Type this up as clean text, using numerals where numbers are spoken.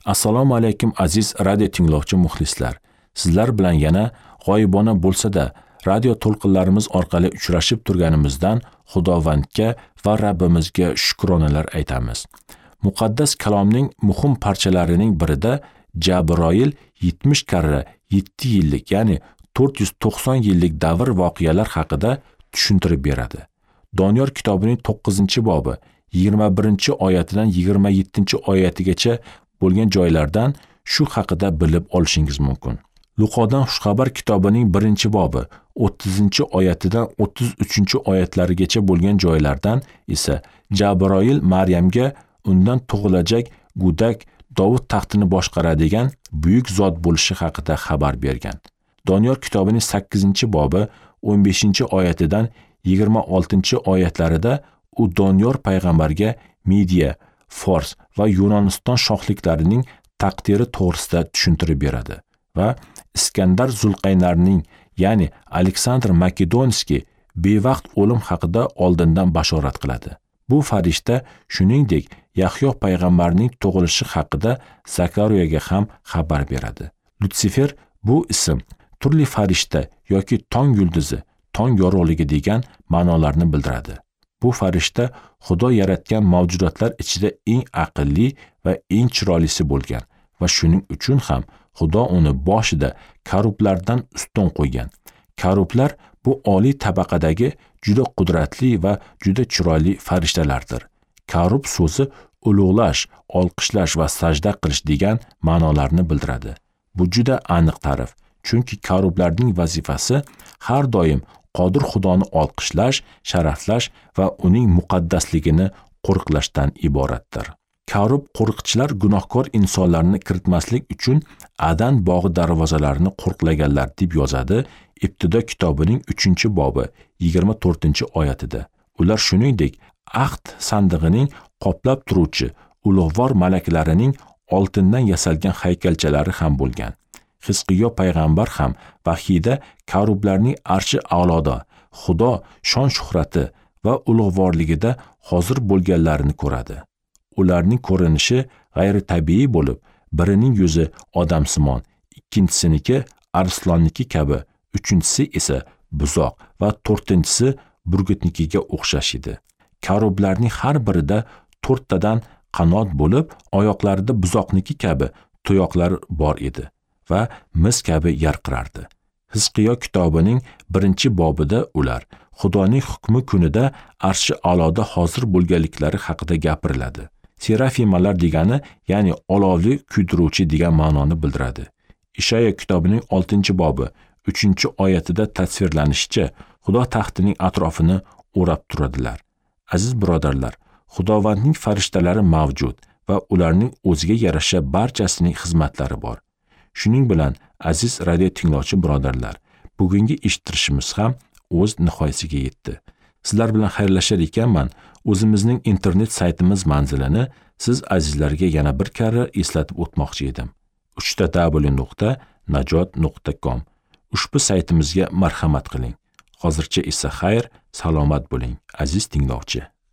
Assalomu alaykum aziz radio tinglovchi muxlislar. Sizlar bilan yana g'oyibona bo'lsa-da radio to'lqinlarimiz orqali uchrashib turganimizdan Xudovandga va Rabbimizga shukronalar aytamiz. Muqaddas kalomning muhim parchalarining birida Jabroil 70 karra 7 yillik, ya'ni 490 yillik davr voqealar haqida tushuntirib beradi. Doniyor kitobining 9-bobi 21-oyatidan 27-oyatigacha bo'lgan joylardan shu haqida bilib olishingiz mumkin. Luqodan Xushxabar kitobining 1-bobi 30-oyatidan 33-oyatlarigacha bo'lgan joylardan esa Jabroil Maryamga undan tug'ilajak go'dak Dovud taxtini boshqaradigan buyuk zot bo'lishi haqida xabar bergan. Doniyor kitobining 8-bobi 15-oyatidan 26-oyatlarida u Doniyor payg'ambarga Midiya, Fors va Yunoniston shohliklarining taqdiri to'g'risida tushuntirib beradi va Iskandar Zulqaynarning, ya'ni Aleksandr Makedonskiy bevaqt o'lim haqida oldindan bashorat qiladi. Bu farishta shuningdek Yahyo payg'ambarning tug'ilishi haqida Zakariyaga ham xabar beradi. Lutsifer bu ism turli farishta yoki tong yulduzi, tong yorug'ligi degan ma'nolarni bildiradi. Bu farishta Xudo yaratgan mavjudotlar ichida eng aqlli va eng chiroylisi bo'lgan va shuning uchun ham Xudo uni boshida karublardan ustun qo'ygan. Karublar bu oliy tabaqadagi juda qudratli va juda chiroyli farishtalardir. Karub so'zi ulug'lash, olqishlash va sajda qilish degan ma'nolarni bildiradi. Bu juda aniq ta'rif, chunki karublarning vazifasi har doim qodir Xudoni olqishlash, sharaflash va uning muqaddasligini qo'riqlashdan iboratdir. Karub qo'riqchilar gunohkor insonlarni kiritmaslik uchun Adan bog'i darvozalarini qo'riqlaganlar deb yozadi Ibtido kitobining 3-bobi 24-oyatida. Ular shuningdek ahd sandig'ining qoplab turuvchi ulug'vor malaklarining oltindan yasalgan haykalchalari ham bo'lgan. Hizqiyo payg'ambar ham vahiyda karublarning arshi a'loda Xudo shon shuhrati va ulug'vorligida hozir bo'lganlarini ko'radi. Ularning ko'rinishi g'ayritabiiy bo'lib, birining yuzi odamsimon, ikkinchisiniki arslonniki kabi, uchinchisi esa buzoq va to'rtinchisi burgutnikiga o'xshash edi. Karublarning har birida 4 tadan qanot bo'lib, oyoqlarida buzoqniki kabi tuyoqlar bor edi va mis kabi yarqirardi. Hizqiyo kitobining 1-bobida ular Xudoning hukmi kunida arshi a'loda hozir bo'lganliklari haqida gapiriladi. Serafimalar degani, ya'ni olovli kuydiruvchi degan ma'noni bildiradi. Ishoya kitobining 6-bobi 3-oyatida tasvirlanishicha, Xudo taxtining atrofini o'rab turadilar. Aziz birodarlar, Xudovandning farishtalari mavjud va ularning o'ziga yarasha barchasining xizmatlari bor. Shuning bilan aziz radio tinglovchi birodarlar, bugungi eshittirishimiz ham o'z nihoyasiga yetdi. Sizlar bilan xayrlashar ekanman, o'zimizning internet saytimiz manzilini siz azizlarga yana bir karra eslatib o'tmoqchi edim. www.najot.com. Ushbu saytimizga marhamat qiling. Hozircha esa xayr, salomat bo'ling, aziz tinglovchi.